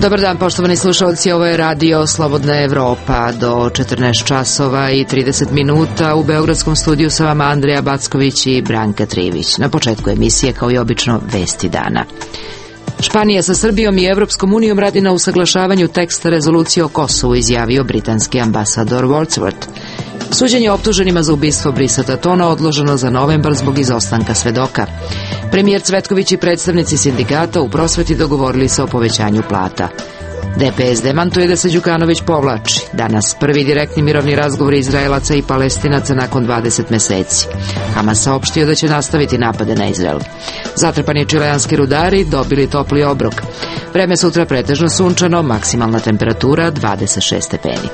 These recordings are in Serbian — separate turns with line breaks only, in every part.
Dobar dan, poštovani slušalci, ovo je Radio Slobodna Evropa. Do 14 časova i 30 minuta u Beogradskom studiju sa vama Andreja Backović i Branka Trivić. Na početku emisije, kao i obično, vesti dana. Španija sa Srbijom i Evropskom unijom radi na usaglašavanju teksta rezolucije o Kosovu, izjavio britanski ambasador Wordsworth. Suđenje optuženima za ubistvo Brisa Tatona odloženo za novembar zbog izostanka svedoka. Premijer Cvetković i predstavnici sindikata u prosveti dogovorili se o povećanju plata. DPS demantuje da se Đukanović povlači. Danas prvi direktni mirovni razgovor Izraelaca i Palestinaca nakon 20 meseci. Hamas saopštio da će nastaviti napade na Izrael. Zatrpani čileanski rudari dobili topli obrok. Vreme sutra pretežno sunčano, maksimalna temperatura 26 stepeni.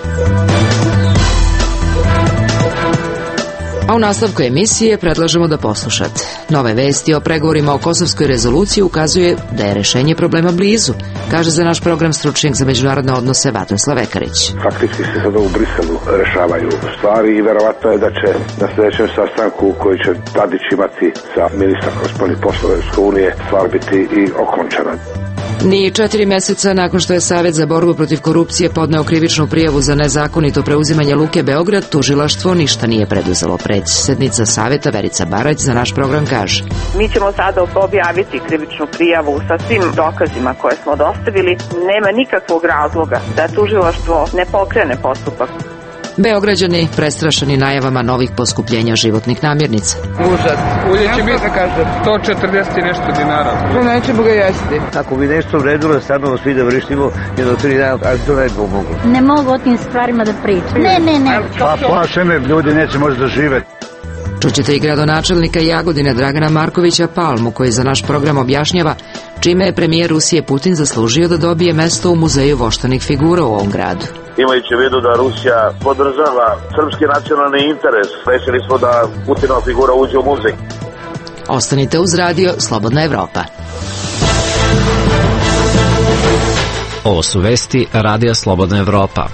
A u nastavku emisije predlažemo da poslušate. Nove vesti o pregovorima o kosovskoj rezoluciji ukazuje da je rešenje problema blizu, kaže za naš program stručnjak za međunarodne odnose Vatoslav Ekarić.
Faktički se sada u Briselu rešavaju stvari i verovatno je da će na sljedećem sastanku koji će Tadić imati sa ministrom spoljnih poslova Evropske unije stvar biti i okončana.
Ni 4 meseca nakon što je Savet za borbu protiv korupcije podneo krivičnu prijavu za nezakonito preuzimanje Luke Beograd, tužilaštvo ništa nije preduzelo. Predsjednica Saveta Verica Barać za naš program kaže:
Mi ćemo sada objaviti krivičnu prijavu sa svim dokazima koje smo dostavili. Nema nikakvog razloga da tužilaštvo ne pokrene postupak.
Beograđani prestrašeni najavama novih poskupljenja životnih namirnica.
Užas. Ulje će biti, kaže, 140 i nešto dinara.
No, nećemo ga jesti.
Ako bi nešto vredilo, stvarno svi da vrištimo jedno 3 dana, ali to ne bi pomoglo.
Ne mogu o tim stvarima da pričam. Ne.
Pa plaše me, ljudi neće možda da žive.
Čućete i gradonačelnika Jagodine Dragana Markovića Palmu, koji za naš program objašnjava čime je premijer Rusije Putin zaslužio da dobije mesto u muzeju voštanih figura u ovom gradu.
Imajući u vidu da Rusija podržava srpski nacionalni interes, rešili smo da Putinova figura uđe u muzej.
Ostanite uz Radio Slobodna Evropa.
Ovo su vesti Radija Slobodna Evropa.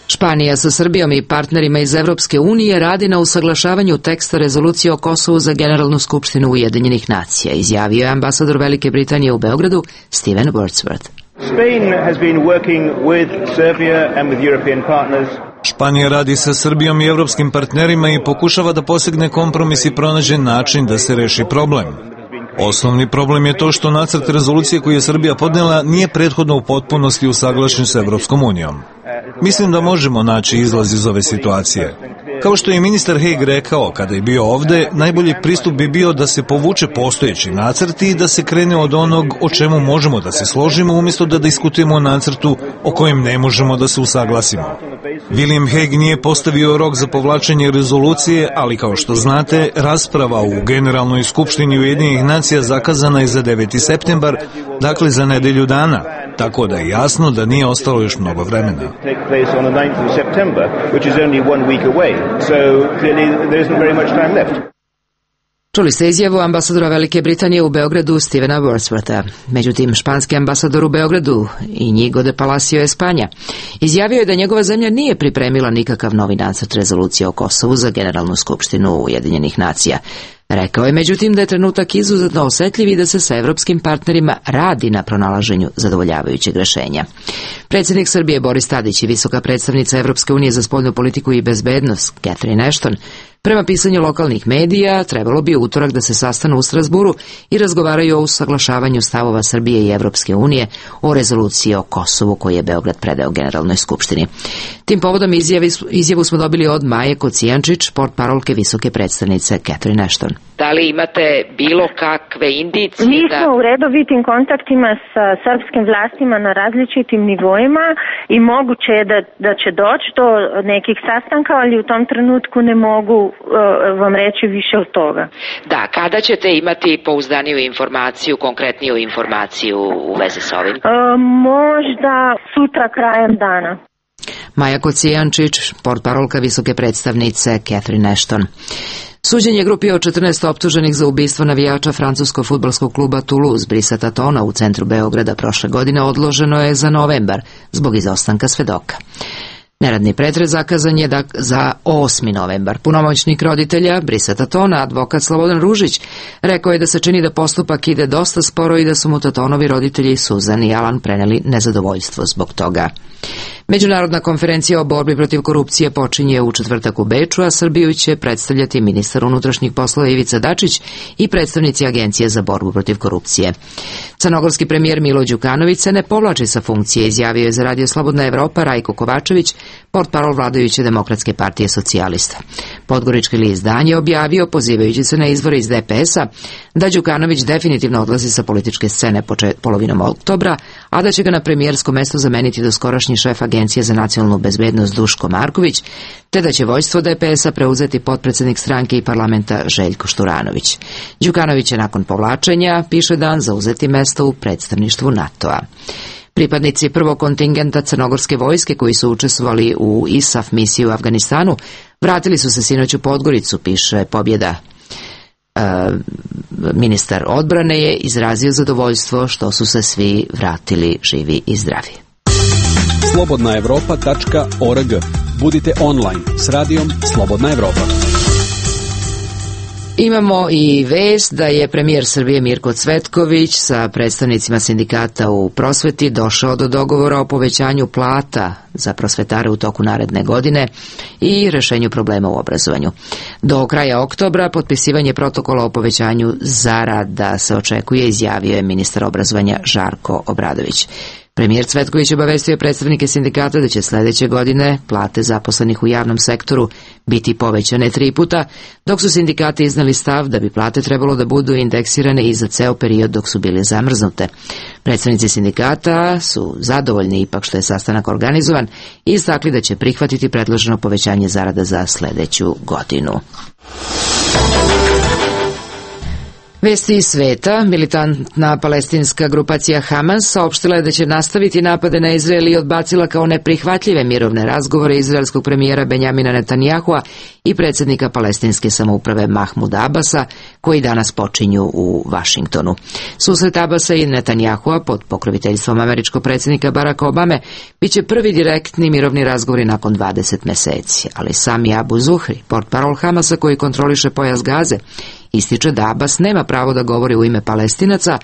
Španija sa Srbijom i partnerima iz Evropske unije radi na usaglašavanju teksta rezolucije o Kosovu za Generalnu skupštinu Ujedinjenih nacija, izjavio je ambasador Velike Britanije u Beogradu Steven Wordsworth.
Španija radi sa Srbijom i evropskim partnerima i pokušava da postigne kompromis i pronađe način da se reši problem. Osnovni problem je to što nacrt rezolucije koju je Srbija podnela nije prethodno u potpunosti usaglašen sa Evropskom unijom. Mislim da možemo naći izlaz iz ove situacije. Kao što je ministar Hague rekao kada je bio ovde, najbolji pristup bi bio da se povuče postojeći nacrt i da se krene od onog o čemu možemo da se složimo, umjesto da diskutujemo o nacrtu o kojem ne možemo da se usaglasimo. William Hague nije postavio rok za povlačenje rezolucije, ali kao što znate, rasprava u Generalnoj skupštini Ujedinjenih nacija zakazana je za 9. septembar, dakle za nedelju dana, tako da je jasno da nije ostalo još mnogo vremena.
Čuli ste izjavu ambasadora Velike Britanije u Beogradu Stevena Wordswortha. Međutim, španski ambasador u Beogradu Inigo de Palacio Espanja izjavio je da njegova zemlja nije pripremila nikakav novi nacrt rezolucije o Kosovu za Generalnu skupštinu Ujedinjenih nacija. Rekao je međutim da je trenutak izuzetno osetljiv i da se sa evropskim partnerima radi na pronalaženju zadovoljavajućeg rešenja. Predsjednik Srbije Boris Tadić i visoka predstavnica Evropske unije za spoljnu politiku i bezbednost Catherine Ashton, prema pisanju lokalnih medija, trebalo bi u utorak da se sastanu u Strasburu i razgovaraju o usaglašavanju stavova Srbije i Evropske unije o rezoluciji o Kosovu koju je Beograd predao Generalnoj skupštini. Tim povodom izjavu smo dobili od Maje Kocijančić, portparolke visoke predstavnice Catherine Ashton.
Da li imate bilo kakve indicije?
Mi smo u redovitim kontaktima sa srpskim vlastima na različitim nivoima i moguće je da će doći do nekih sastanka, ali u tom trenutku ne mogu vam reći više od toga.
Da, kada ćete imati pouzdaniju informaciju, konkretniju informaciju u vezi s ovim?
Možda sutra krajem dana.
Maja Kocijančić, portparolka visoke predstavnice Catherine Ashton. Suđenje grupi od 14 optuženih za ubistvo navijača francuskog fudbalskog kluba Toulouse Brisa Tatona u centru Beograda prošle godine odloženo je za novembar zbog izostanka svedoka. Neradni pretres zakazan je za 8. novembar. Punomoćnik roditelja Brisa Tatona, advokat Slobodan Ružić, rekao je da se čini da postupak ide dosta sporo i da su mu Tatonovi roditelji Suzan i Alan preneli nezadovoljstvo zbog toga. Međunarodna konferencija o borbi protiv korupcije počinje u četvrtak u Beču, a Srbiju će predstavljati ministar unutrašnjih poslova Ivica Dačić i predstavnici Agencije za borbu protiv korupcije. Crnogorski premijer Milo Đukanović se ne povlači sa funkcije, izjavio je za Radio Slobodna Evropa Rajko Kovačević, portparol vladajuće Demokratske partije socijalista. Podgorički list Dan je objavio, pozivajući se na izvore iz DPS-a, da Đukanović definitivno odlazi sa političke scene polovinom oktobra, a da će ga na premijersko mesto zameniti doskorašnji šef Agencije za nacionalnu bezbednost Duško Marković, te da će vođstvo DPS-a preuzeti potpredsednik stranke i parlamenta Željko Šturanović. Đukanović će nakon povlačenja, piše Dan, zauzeti mesto u predstavništvu NATO-a. Pripadnici prvog kontingenta crnogorske vojske koji su učestvovali u ISAF misiji u Afganistanu vratili su se sinoć u Podgoricu, piše Pobjeda. Ministar odbrane je izrazio zadovoljstvo što su se svi vratili živi i zdravi.
slobodnaevropa.org. Budite online s radijom Slobodna Evropa.
Imamo i vest da je premijer Srbije Mirko Cvetković sa predstavnicima sindikata u prosveti došao do dogovora o povećanju plata za prosvetare u toku naredne godine i rešenju problema u obrazovanju. Do kraja oktobra potpisivanje protokola o povećanju zarada se očekuje, izjavio je ministar obrazovanja Žarko Obradović. Premijer Cvetković obavestio predstavnike sindikata da će sledeće godine plate zaposlenih u javnom sektoru biti povećane 3 puta, dok su sindikati iznali stav da bi plate trebalo da budu indeksirane i za ceo period dok su bile zamrznute. Predstavnici sindikata su zadovoljni ipak što je sastanak organizovan i istakli da će prihvatiti predloženo povećanje zarada za sledeću godinu. Vesti iz sveta. Militantna palestinska grupacija Hamas saopštila je da će nastaviti napade na Izrael i odbacila kao neprihvatljive mirovne razgovore izraelskog premijera Benjamina Netanjahua i predsjednika palestinske samouprave Mahmuda Abasa, koji danas počinju u Vašingtonu. Susret Abasa i Netanjahua pod pokroviteljstvom američkog predsjednika Baracka Obame biće prvi direktni mirovni razgovori nakon 20 meseci, ali Sami Abu Zuhri, portparol Hamasa koji kontroliše pojas Gaze, ističe da Abbas nema pravo da govori u ime Palestinaca,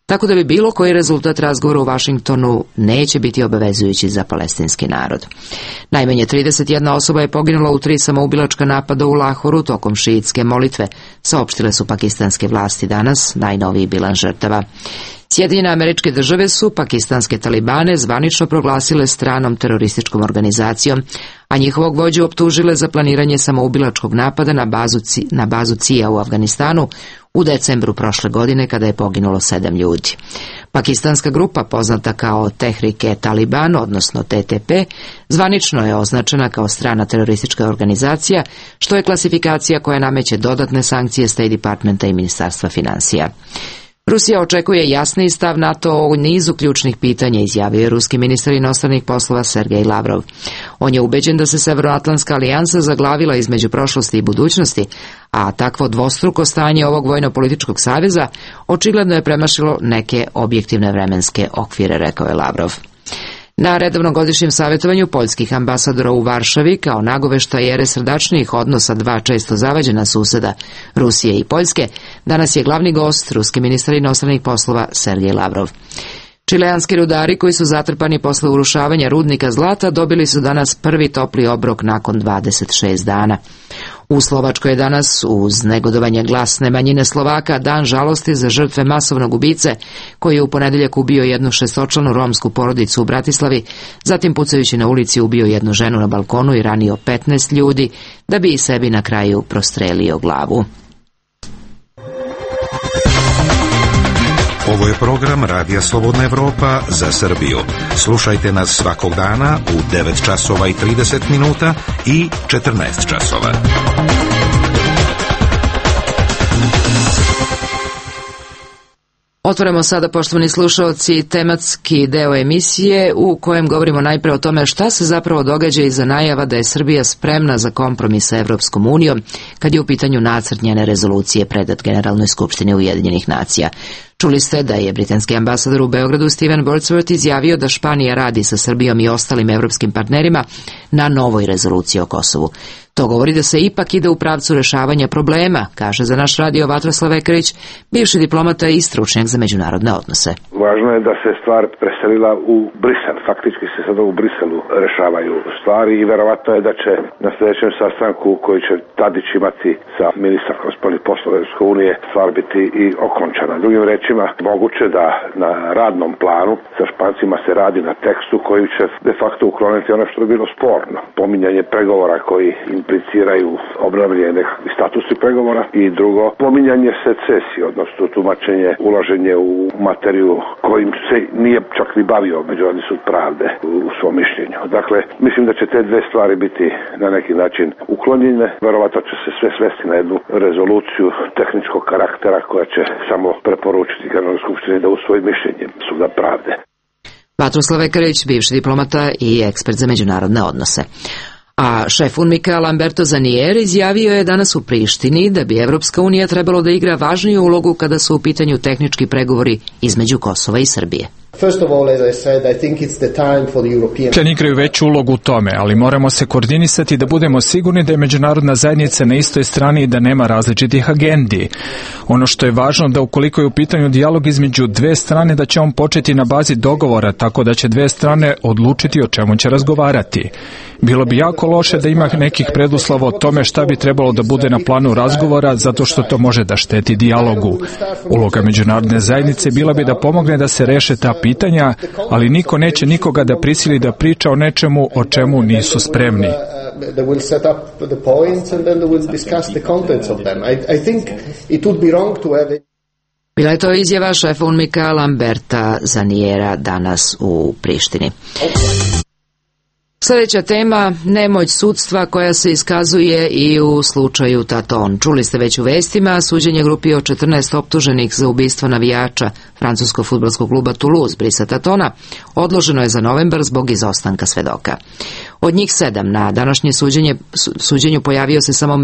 tako da bi bilo koji rezultat razgovora u Vašingtonu neće biti obavezujući za palestinski narod. Najmanje 31 osoba je poginula u 3 samoubilačka napada u Lahoru tokom šiitske molitve, saopštile su pakistanske vlasti danas, najnoviji bilans žrtava. Sjedinjene Američke Države su pakistanske talibane zvanično proglasile stranom terorističkom organizacijom, a njihovog vođu optužile za planiranje samoubilačkog napada na bazu CIA u Afganistanu u decembru prošle godine kada je poginulo 7 ljudi. Pakistanska grupa, poznata kao Tehrik-e-Taliban, odnosno TTP, zvanično je označena kao strana teroristička organizacija, što je klasifikacija koja nameće dodatne sankcije State Departmenta i Ministarstva finansija. Rusija očekuje jasniji stav NATO o nizu ključnih pitanja, izjavio je ruski ministar inostranih poslova Sergej Lavrov. On je ubeđen da se Severnoatlantska alijansa zaglavila između prošlosti i budućnosti, a takvo dvostruko stanje ovog vojno-političkog saveza očigledno je premašilo neke objektivne vremenske okvire, rekao je Lavrov. Na redovnom godišnjem savjetovanju poljskih ambasadora u Varšavi, kao nagoveštaj ere srdačnijih odnosa dva često zavađena suseda, Rusije i Poljske, danas je glavni gost ruski ministar inostranih poslova Sergej Lavrov. Čileanski rudari koji su zatrpani posle urušavanja rudnika zlata dobili su danas prvi topli obrok nakon 26 dana. U Slovačkoj je danas, uz negodovanje glasne manjine Slovaka, dan žalosti za žrtve masovnog ubice koji je u ponedeljak ubio jednu 6-članu romsku porodicu u Bratislavi, zatim pucajući na ulici ubio jednu ženu na balkonu i ranio 15 ljudi, da bi i sebi na kraju prostrelio glavu.
Ovo je program Radija Slobodna Evropa za Srbiju. Slušajte nas svakog dana u 9 časova i 30 minuta i 14 časova.
Otvaramo sada, poštovani slušaoci, tematski deo emisije u kojem govorimo najpre o tome šta se zapravo događa iza najava da je Srbija spremna za kompromis sa Evropskom unijom kad je u pitanju nacrt njene rezolucije predat Generalnoj skupštini Ujedinjenih nacija. Čuli ste da je britanski ambasador u Beogradu Steven Wordsworth izjavio da Španija radi sa Srbijom i ostalim evropskim partnerima na novoj rezoluciji o Kosovu. To govori da se ipak ide u pravcu rešavanja problema, kaže za naš radio Vatroslav Ekerić, bivši diplomata i stručnjak za međunarodne odnose.
Važno je da se stvar preselila u Brisel. Faktički se sada u Briselu rešavaju stvari i verovatno je da će na sljedećem sastanku koji će Tadić imati sa ministarkom spoljnih poslova Evropske unije stvar biti i okončana. Drugim rečima, moguće da na radnom planu sa Špancima se radi na tekstu koji će de facto ukloniti ono što je bilo sporno. Pominjanje pregovora koji impliciraju obnavljanje nekakvih statusnih pregovora i drugo, pominjanje secesije, odnosno tumačenje, ulaženje u materiju kojim se nije čak ni bavio Međunarodni sud pravde u svom mišljenju. Dakle, mislim da će te dve stvari biti na neki način uklonjene. Verovatno će se sve svesti na jednu rezoluciju tehničkog karaktera koja će samo preporučiti Generalnoj skupštini da usvoji mišljenje suda pravde.
Vatroslav Ekerić, bivši diplomata i ekspert za međunarodne odnose. A šef UNMIK-a Lamberto Zanier izjavio je danas u Prištini da bi Evropska unija trebalo da igra važniju ulogu kada su u pitanju tehnički pregovori između Kosova i Srbije.
Europljani igraju veću ulogu u tome, ali moramo se koordinisati da budemo sigurni da je međunarodna zajednica na istoj strani i da nema različitih agendi. Ono što je važno da ukoliko je u pitanju dijalog između dve strane, da će on početi na bazi dogovora, tako da će dve strane odlučiti o čemu će razgovarati. Bilo bi jako loše da ima nekih preduslova o tome šta bi trebalo da bude na planu razgovora, zato što to može da šteti dijalogu. Uloga međunarodne zajednice bila bi da pomogne da se reše ta pitanja, ali niko neće nikoga da prisili da priča o nečemu o čemu nisu spremni.
Bila je to izjava šefa UNMIK-a Lamberta Zaniera danas u Prištini. Sljedeća tema, nemoć sudstva koja se iskazuje i u slučaju Taton. Čuli ste već u vestima, suđenje grupi od 14 optuženih za ubistvo navijača francuskog fudbalskog kluba Toulouse Brisa Tatona odloženo je za novembar zbog izostanka svedoka. Od njih 7 na današnje suđenju pojavio se samo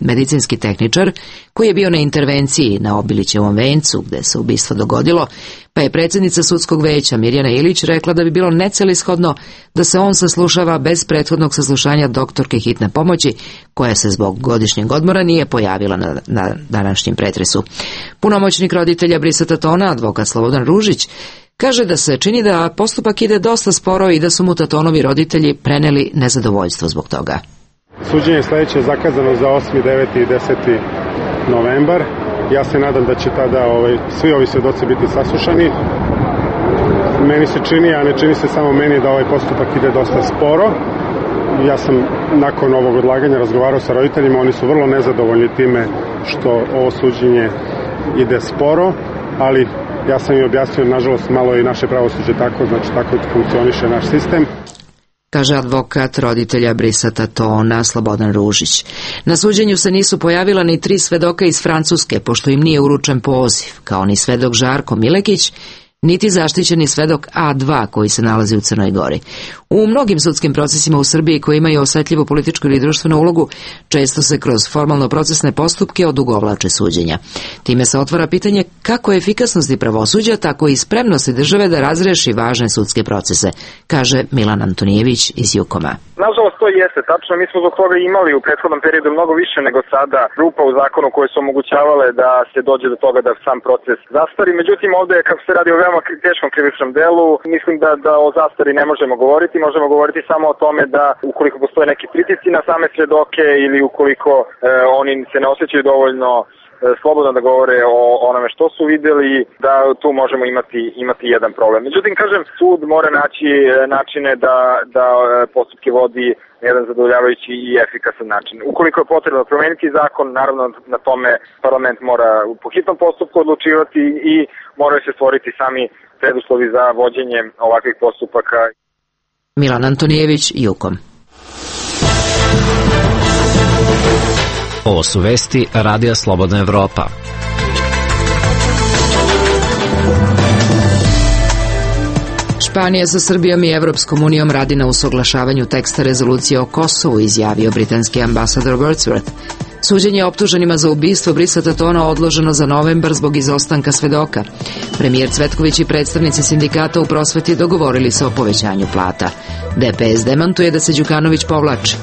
medicinski tehničar koji je bio na intervenciji na Obilićevom vencu gde se ubistvo dogodilo, pa je predsjednica sudskog veća Mirjana Ilić rekla da bi bilo necelishodno da se on saslušava bez prethodnog saslušanja doktorke hitne pomoći koja se zbog godišnjeg odmora nije pojavila na današnjem pretresu. Punomoćnik roditelja Brisa Tatona, advokat Slobodan Ružić, kaže da se čini da postupak ide dosta sporo i da su mu Tatonovi roditelji preneli nezadovoljstvo zbog toga.
Suđenje sledeće je zakazano za 8., 9. i 10. novembar. Ja se nadam da će tada svi ovi svedoci biti saslušani. Meni se čini, a ne čini se samo meni, da ovaj postupak ide dosta sporo. Ja sam nakon ovog odlaganja razgovarao sa roditeljima, oni su vrlo nezadovoljni time što ovo suđenje ide sporo, ali ja sam im objasnio, nažalost, malo i naše pravosuđe tako, znači tako funkcioniše naš sistem.
Kaže advokat roditelja Brisa Tatona Slobodan Ružić. Na suđenju se nisu pojavila ni 3 svedoka iz Francuske, pošto im nije uručen poziv, kao ni svedok Žarko Milekić, niti zaštićeni svedok A2 koji se nalazi u Crnoj Gori. U mnogim sudskim procesima u Srbiji koji imaju osetljivu političku ili društvenu ulogu, često se kroz formalno-procesne postupke odugovlače suđenja. Time se otvara pitanje kako efikasnosti pravosuđa, tako i spremnosti države da razreši važne sudske procese, kaže Milan Antonijević iz Jukoma.
Nažalost, to jeste tačno. Mi smo zbog toga imali u prethodnom periodu mnogo više nego sada rupa u zakonu koje su omogućavale da se dođe do toga da sam proces zastari. Međutim, ovde, kako se radi o veoma teškom krivičnom delu, mislim da o zastari ne možemo govoriti. Možemo govoriti samo o tome da ukoliko postoje neki pritisci na same svedoke ili ukoliko oni se ne osjećaju dovoljno slobodno da govore o onome što su videli, da tu možemo imati jedan problem. Međutim, kažem, sud mora naći načine da postupke vodi na jedan zadovoljavajući i efikasan način. Ukoliko je potrebno promeniti zakon, naravno na tome parlament mora po hitnom postupku odlučivati i moraju se stvoriti sami preduslovi za vođenje ovakvih postupaka.
Milan Antonijević, Jukom.
Ovo su vesti Radija Slobodna Evropa.
Španija sa Srbijom i Evropskom unijom radi na usaglašavanju teksta rezolucije o Kosovu, izjavio britanski ambasador Wordsworth. Suđenje optuženima za ubistvo Brisa Tatona odloženo za novembar zbog izostanka svedoka. Premijer Cvetković i predstavnici sindikata u prosveti dogovorili se o povećanju plata. DPS demantuje da se Đukanović povlači.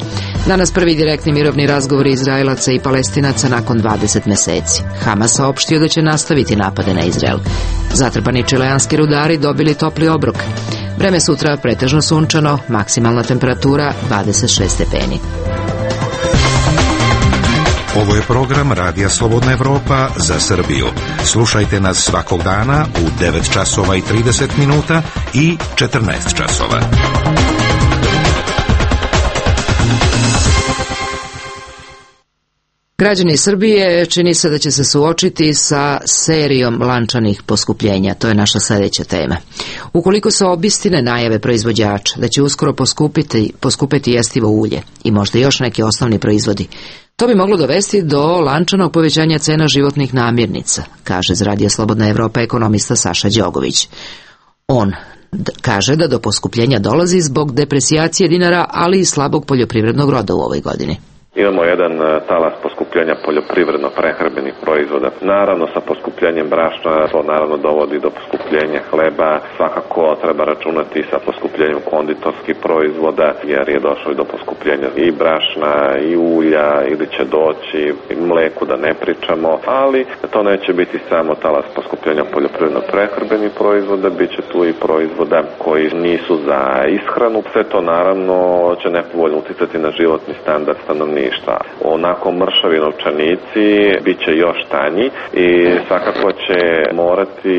Danas prvi direktni mirovni razgovori Izraelaca i Palestinaca nakon 20 meseci. Hamas saopštio da će nastaviti napade na Izrael. Zatrpani čileanski rudari dobili topli obrok. Vreme sutra pretežno sunčano, maksimalna temperatura 26 stepeni.
Ovo je program Radija Slobodna Evropa za Srbiju. Slušajte nas svakog dana u 9 časova i 30 minuta i 14 časova.
Građani Srbije čini se da će se suočiti sa serijom lančanih poskupljenja. To je naša sljedeća tema. Ukoliko se obistine najave proizvođača da će uskoro poskupiti jestivo ulje i možda još neki osnovni proizvodi, to bi moglo dovesti do lančanog povećanja cena životnih namirnica, kaže iz Radija Slobodna Evropa ekonomista Saša Đogović. On kaže da do poskupljenja dolazi zbog depresijacije dinara, ali i slabog poljoprivrednog roda u ovoj godini.
Imamo jedan talas poskupljenja poljoprivredno-prehrambenih proizvoda. Naravno, sa poskupljenjem brašna to naravno dovodi do poskupljenja hleba. Svakako treba računati sa poskupljenjem konditorskih proizvoda, jer je došlo i do poskupljenja i brašna, i ulja, ili će doći i mleku, da ne pričamo. Ali to neće biti samo talas poskupljenja poljoprivredno-prehrambenih proizvoda, bit će tu i proizvoda koji nisu za ishranu. Sve to naravno će nepovoljno uticati na životni standard stanovništva. Onako mršavi novčanici bit će još tanji i svakako će morati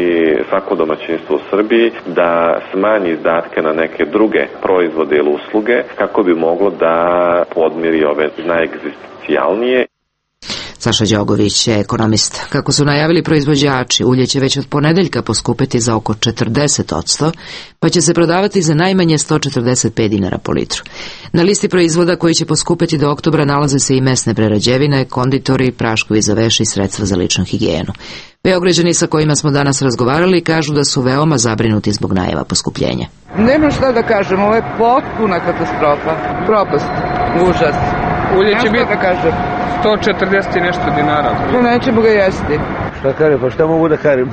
svako domaćinstvo u Srbiji da smanji izdatke na neke druge proizvode ili usluge kako bi moglo da podmiri ove najegzistencijalnije.
Saša Đogović je ekonomist. Kako su najavili proizvođači, ulje će već od ponedeljka poskupiti za oko 40%, pa će se prodavati za najmanje 145 dinara po litru. Na listi proizvoda koji će poskupiti do oktobra nalaze se i mesne prerađevine, konditori, praškovi za veš i sredstva za ličnu higijenu. Beograđani sa kojima smo danas razgovarali kažu da su veoma zabrinuti zbog najava poskupljenja.
Nemam šta da kažem, ovo je potpuna katastrofa, propast, užas. Ulje će biti, da kažem, 140 i nešto dinara. To nećemo ga jesti.
Šta kažem, pa šta mogu da kažem?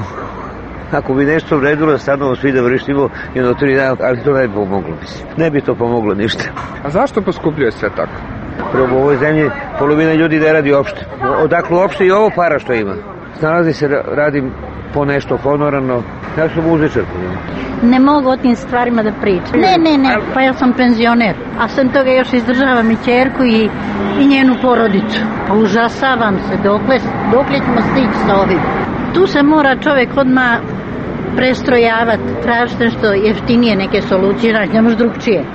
Ako bi nešto vredilo, stano svi da vršimo jedno 3 dana, ali to ne bi pomoglo. Ne bi to pomoglo ništa.
A zašto poskupljuje sve tako?
Prvo u ovoj zemlji polovina ljudi ne radi uopšte. Odakle uopšte i ovo para što ima. Snalazi se, radim po nešto honorarno. Ja sam muzičar.
Ne mogu o tim stvarima da pričam. Ne, pa ja sam penzioner. A sam toga još izdržavam i ćerku i njenu porodicu. Pa užasavam se, dokle ćemo stići sa ovim. Tu se mora čovjek odmah prestrojavati, tražiti nešto jeftinije, neke solucije, ne može drugčije.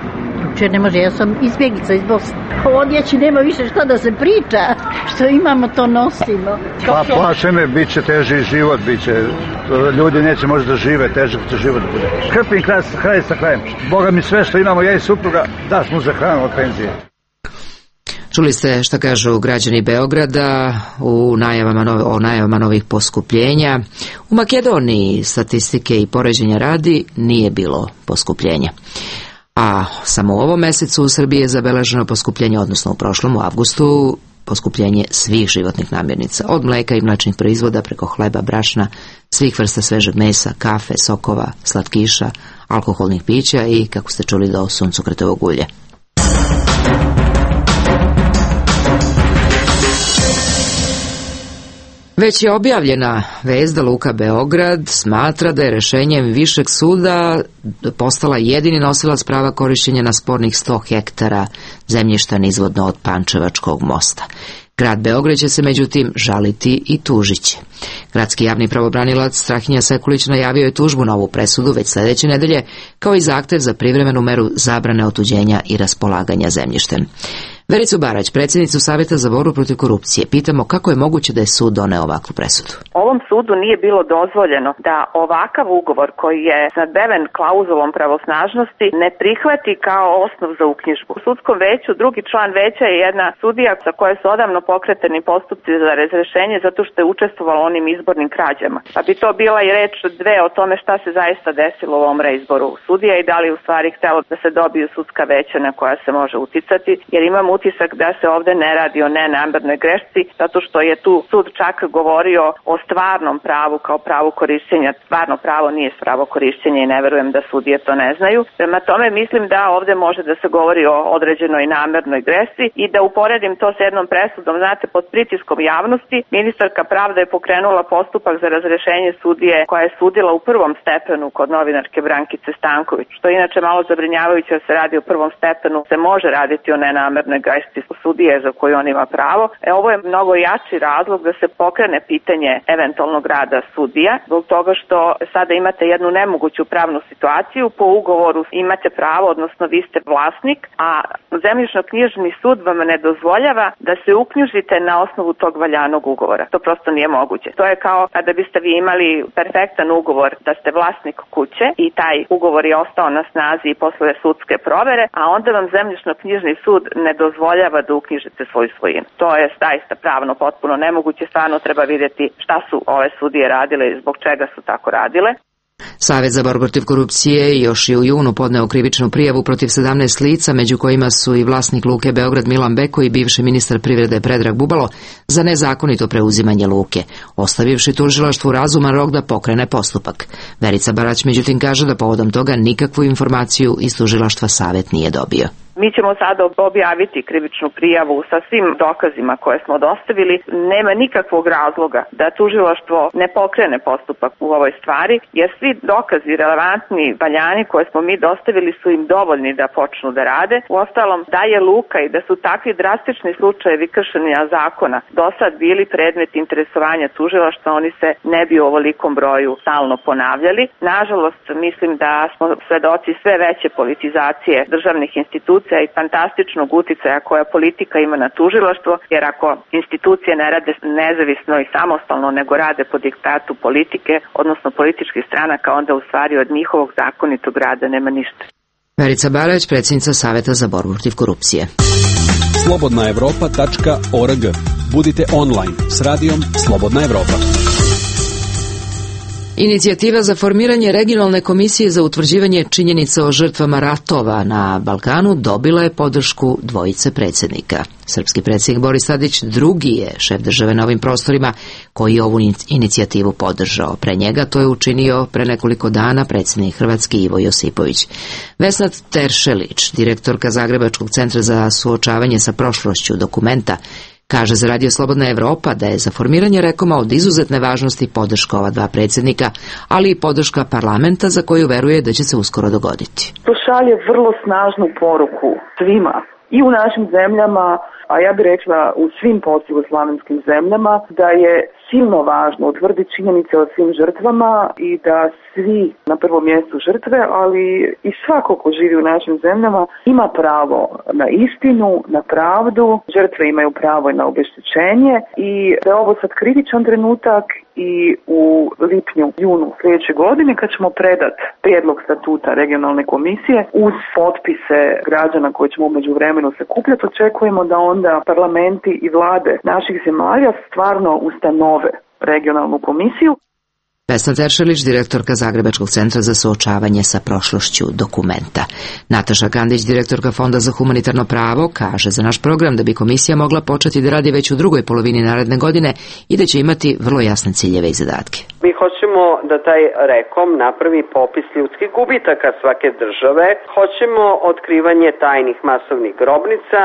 Ne može, ja sam izbjeglica iz Bosne. Odjeći nema više što da se priča, što imamo to nosimo.
Pa plašene, bit će teži život, ljudi neće možda da žive, težak će život bude. Krpim kraj sa krajem. Boga mi sve što imamo, ja i supruga, daš mu za hranu od penzije.
Čuli ste šta kažu građani Beograda o najavama novih poskupljenja. U Makedoniji statistike i poređenja radi nije bilo poskupljenja. A samo u ovom mesecu u Srbiji je zabeleženo poskupljenje, odnosno u prošlom, u avgustu, poskupljenje svih životnih namirnica, od mleka i mlečnih proizvoda preko hleba, brašna, svih vrsta svežeg mesa, kafe, sokova, slatkiša, alkoholnih pića i, kako ste čuli, do suncokretovog ulja. Već je objavljena vest da Luka Beograd smatra da je rešenjem Višeg suda postala jedini nosilac prava korišćenja na spornih 100 hektara zemljišta nizvodno od Pančevačkog mosta. Grad Beograd će se međutim žaliti i tužiće. Gradski javni pravobranilac Strahinja Sekulić najavio je tužbu na ovu presudu već sljedeće nedelje, kao i zahtev za privremenu meru zabrane otuđenja i raspolaganja zemljištem. Vericu Barać, predsjednicu Savjeta za borbu protiv korupcije, pitamo kako je moguće da je sud doneo ovakvu presudu.
Ovom sudu nije bilo dozvoljeno da ovakav ugovor koji je snadbeven klauzulom pravosnažnosti ne prihvati kao osnov za uknjižbu. U sudskom veću drugi član veća je jedna sudija sa koje su odavno pokretani postupci za razrešenje zato što je učestvovalo onim izbornim krađama. Pa bi to bila i reč dve o tome šta se zaista desilo u ovom reizboru sudija i da li u stvari htelo da se dobiju sudska veća na koja se može uticati, jer imamo utisak da se ovde ne radi o nenamernoj grešci, zato što je tu sud čak govorio o stvarnom pravu kao pravu korišćenja. Stvarno pravo nije pravo korišćenja i ne verujem da sudije to ne znaju. Prema tome mislim da ovde može da se govori o određenoj namernoj grešci i da uporedim to s jednom presudom. Znate, pod pritiskom javnosti ministarka pravde je pokrenula postupak za razrešenje sudije koja je sudila u prvom stepenu kod novinarke Brankice Stanković, što je inače malo zabrinjavajuće da se radi u prvom stepenu, se može raditi o nenamernoj grešci sudije za koju on ima pravo. Ovo je mnogo jači razlog da se pokrene pitanje eventualnog rada sudija, zbog toga što sada imate jednu nemoguću pravnu situaciju, po ugovoru imate pravo, odnosno vi ste vlasnik, a zemljišno-knjižni sud vam ne dozvoljava da se uknjižite na osnovu tog valjanog ugovora. To prosto nije moguće. To je kao kada biste vi imali perfektan ugovor da ste vlasnik kuće i taj ugovor je ostao na snazi i posle sudske provere, a onda vam zemljišno-knjižni sud ne dozvoljava da uknjižite svoju svojinu. To je zaista pravno potpuno nemoguće, stvarno treba vidjeti šta su ove sudije radile i zbog čega su tako radile.
Savet za borbu protiv korupcije još i u junu podneo krivičnu prijavu protiv 17 lica, među kojima su i vlasnik Luke Beograd Milan Beko i bivši ministar privrede Predrag Bubalo, za nezakonito preuzimanje luke, ostavivši tužilaštvu razuman rok da pokrene postupak. Verica Barać međutim kaže da povodom toga nikakvu informaciju iz tužilaštva Savet nije dobio.
Mi ćemo sada objaviti krivičnu prijavu sa svim dokazima koje smo dostavili. Nema nikakvog razloga da tužilaštvo ne pokrene postupak u ovoj stvari, jer svi dokazi relevantni, valjani koje smo mi dostavili su im dovoljni da počnu da rade. Uostalom, da je luka i da su takvi drastični slučajevi kršenja zakona do sad bili predmet interesovanja tužilaštva, oni se ne bi u ovolikom broju stalno ponavljali. Nažalost, mislim da smo svedoci sve veće politizacije državnih institucija i fantastičnog uticaja koja politika ima na tužilaštvo, jer ako institucije ne rade nezavisno i samostalno, nego rade po diktatu politike, odnosno političkih stranaka, onda u stvari od njihovog zakonitog rada nema ništa.
Verica Barać, predsjednica Saveta za borbu protiv korupcije.
slobodnaevropa.org. Budite online s radijom Slobodna Evropa.
Inicijativa za formiranje regionalne komisije za utvrđivanje činjenica o žrtvama ratova na Balkanu dobila je podršku dvojice predsjednika. Srpski predsjednik Boris Tadić drugi je šef države na ovim prostorima koji je ovu inicijativu podržao. Pre njega to je učinio pre nekoliko dana predsjednik Hrvatske Ivo Josipović. Vesna Teršelić, direktorka Zagrebačkog centra za suočavanje sa prošlošću Dokumenta, kaže za Radio Slobodna Evropa da je za formiranje Rekoma od izuzetne važnosti podrška ova dva predsjednika, ali i podrška parlamenta za koju veruje da će se uskoro dogoditi.
To šalje vrlo snažnu poruku svima i u našim zemljama, a ja bih rekla u svim postjugoslavenskim zemljama, da je silno važno utvrditi činjenice o svim žrtvama i da svi, na prvom mjestu žrtve, ali i svako ko živi u našim zemljama ima pravo na istinu, na pravdu, žrtve imaju pravo i na obeštećenje i da je ovo sad kritičan trenutak i u lipnju, junu sljedeće godine kad ćemo predat prijedlog statuta regionalne komisije uz potpise građana koje ćemo u međuvremenu sakupljati, očekujemo da onda parlamenti i vlade naših zemalja stvarno ustanove regionalnu komisiju.
Vesna Teršelić, direktorka Zagrebačkog centra za suočavanje sa prošlošću Dokumenta. Nataša Kandić, direktorka Fonda za humanitarno pravo, kaže za naš program da bi komisija mogla početi da radi već u drugoj polovini naredne godine i da će imati vrlo jasne ciljeve i zadatke.
Mi hoćemo da taj Rekom napravi popis ljudskih gubitaka svake države, hoćemo otkrivanje tajnih masovnih grobnica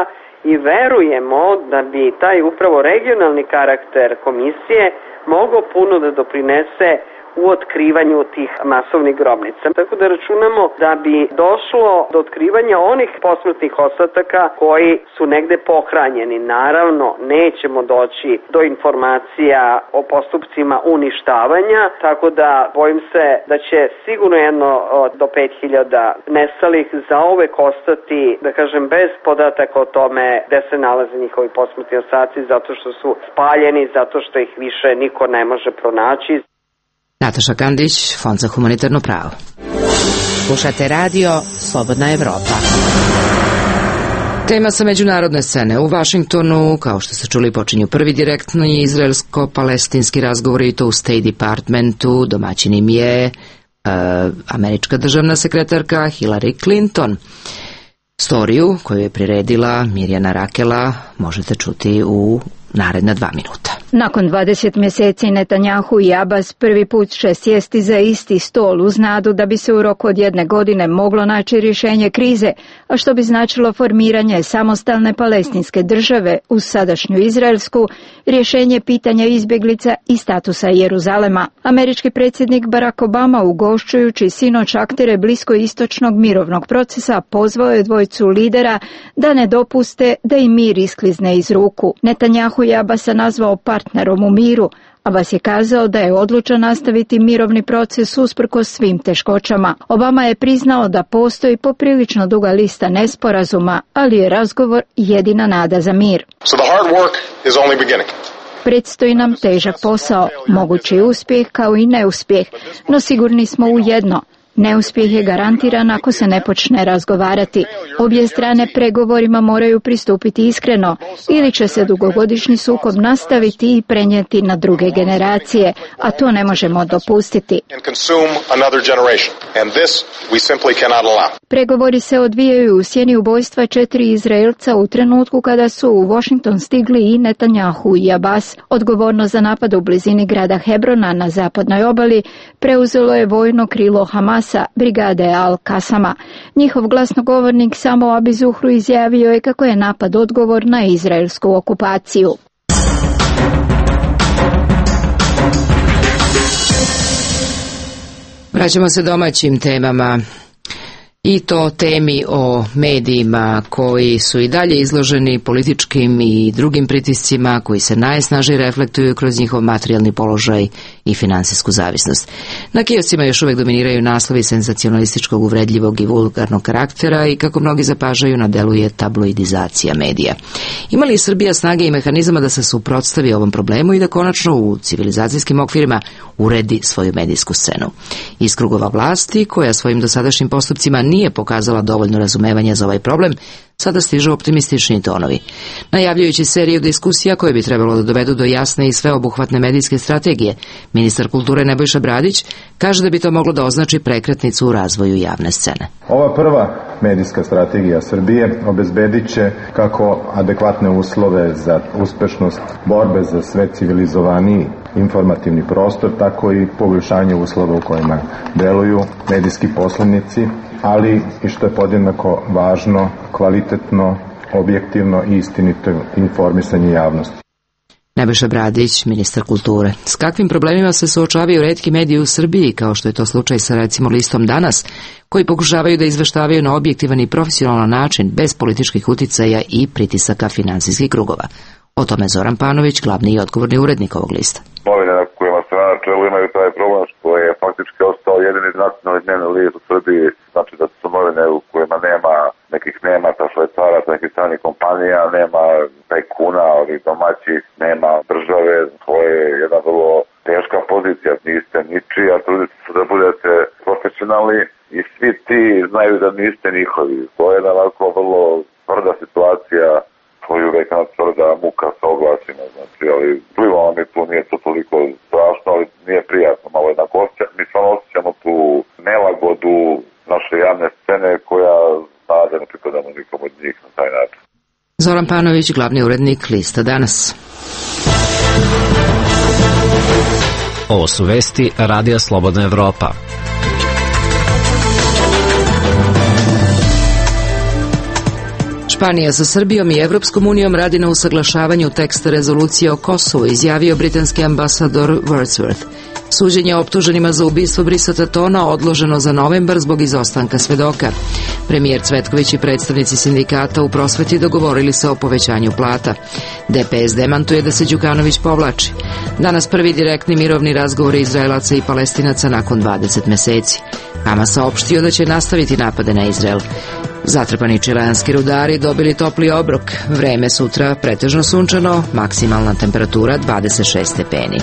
i verujemo da bi taj upravo regionalni karakter komisije mogao puno da doprinese u otkrivanju tih masovnih grobnica. Tako da računamo da bi došlo do otkrivanja onih posmrtnih ostataka koji su negde pohranjeni. Naravno, nećemo doći do informacija o postupcima uništavanja, tako da bojim se da će sigurno jedno do 5000 nestalih zauvek ostati, da kažem, bez podataka o tome gde se nalaze njihovi posmrtni ostaci, zato što su spaljeni, zato što ih više niko ne može pronaći.
Nataša Kandić, Fond za humanitarno pravo.
Slušate radio Slobodna Evropa.
Tema sa međunarodne scene. U Vašingtonu, kao što ste čuli, počinju prvi direktni izraelsko-palestinski razgovori i to u State Departmentu. Domaćin im je američka državna sekretarka Hillary Clinton. Storiju koju je priredila Mirjana Rakela možete čuti u naredna 2 minuta.
Nakon 20 mjeseci Netanjahu i Abbas prvi put će sjesti za isti stol uz nadu da bi se u roku od 1 godine moglo naći rješenje krize, a što bi značilo formiranje samostalne palestinske države uz sadašnju izraelsku, rješenje pitanja izbjeglica i statusa Jeruzalema. Američki predsjednik Barack Obama, ugošćujući sinoć aktere bliskoistočnog mirovnog procesa, pozvao je dvojicu lidera da ne dopuste da im mir isklizne iz ruku. Netanjahu i Abbasa nazvao partnerom u miru. Abbas je kazao da je odlučan nastaviti mirovni proces usprkos svim teškoćama. Obama je priznao da postoji poprilično duga lista nesporazuma, ali je razgovor jedina nada za mir. Predstoji nam težak posao, mogući uspjeh kao i neuspjeh, no sigurni smo u jedno. Neuspjeh je garantiran ako se ne počne razgovarati. Obje strane pregovorima moraju pristupiti iskreno, ili će se dugogodišnji sukob nastaviti i prenijeti na druge generacije, a to ne možemo dopustiti. Pregovori se odvijaju u sjeni ubojstva 4 Izraelca u trenutku kada su u Washington stigli i Netanjahu i Abbas. Odgovornost za napad u blizini grada Hebrona na zapadnoj obali preuzelo je vojno krilo Hamasa, brigade Al-Kasama. Njihov glasnogovornik Samo Abi Zuhru izjavio je kako je napad odgovor na izraelsku okupaciju.
Vraćamo se domaćim temama. I to temi o medijima koji su i dalje izloženi političkim i drugim pritiscima koji se najsnažnije reflektuju kroz njihov materijalni položaj i finansijsku zavisnost. Na kioscima još uvijek dominiraju naslovi senzacionalističkog, uvredljivog i vulgarnog karaktera i kako mnogi zapažaju na delu je tabloidizacija medija. Ima li Srbija snage i mehanizama da se suprotstavi ovom problemu i da konačno u civilizacijskim okvirima uredi svoju medijsku scenu? Iz krugova vlasti, koja svojim dosadašnjim postupcima nije pokazala dovoljno razumevanja za ovaj problem, sada stižu optimistični tonovi. Najavljujući seriju diskusija koje bi trebalo da dovedu do jasne i sveobuhvatne medijske strategije, ministar kulture Nebojša Bradić kaže da bi to moglo da označi prekretnicu u razvoju javne scene.
Ova prva medijska strategija Srbije obezbedit će kako adekvatne uslove za uspešnost borbe za sve civilizovaniji informativni prostor, tako i poboljšanje uslova u kojima deluju medijski poslovnici, ali i što je podjednako važno, kvalitetno, objektivno i istinito informisanje javnosti.
Nebojša Bradić, ministar kulture. S kakvim problemima se suočavaju retki mediji u Srbiji, kao što je to slučaj sa recimo listom Danas, koji pokušavaju da izveštavaju na objektivan i profesionalan način, bez političkih uticaja i pritisaka finansijskih krugova? O tome Zoran Panović, glavni i odgovorni urednik ovog lista.
Novine na kojima se na čelu imaju taj problem što je faktički ostao jedini nacionalni dnevni list u Srbiji, znači da su novine u kojima nema nekih Nemaca, Švajcaraca, nekih stranih kompanija, nema tajkuna, ovih domaćih, nema države, to je jedna vrlo teška pozicija, niste ničiji, a trudite se da budete profesionalni i svi ti znaju da niste njihovi. To je jedna ovako vrlo tvrda situacija, koju uvek na tvrda muka sa oglasima, znači, ali plivalo mi tu, nije to toliko strašno, ali nije prijatno, malo jednako osjećamo, mi stvarno osjećamo tu nelagodu naše javne scene koja zna da ne pripadamo nikom od njih na taj način.
Zoran Panović, glavni urednik lista Danas.
Ovo su vesti Radija Slobodna Evropa.
Španija sa Srbijom i Evropskom unijom radi na usaglašavanju teksta rezolucije o Kosovu, izjavio britanski ambasador Wordsworth. Suđenje optuženima za ubistvo Brisata Tona odloženo za novembar zbog izostanka svedoka. Premijer Cvetković i predstavnici sindikata u prosveti dogovorili se o povećanju plata. DPS demantuje da se Đukanović povlači. Danas prvi direktni mirovni razgovori Izraelaca i Palestinaca nakon 20 meseci. Hamas saopštio da će nastaviti napade na Izrael. Zatrpani čileanski rudari dobili topli obrok. Vreme sutra pretežno sunčano, maksimalna temperatura 26 stepeni.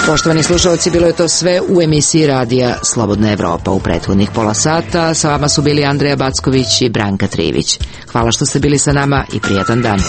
Poštovani slušalci, bilo je to sve u emisiji Radija Slobodna Evropa u prethodnih pola sata. Sa vama su bili Andreja Backović i Branka Trivić. Hvala što ste bili sa nama i prijatan dan.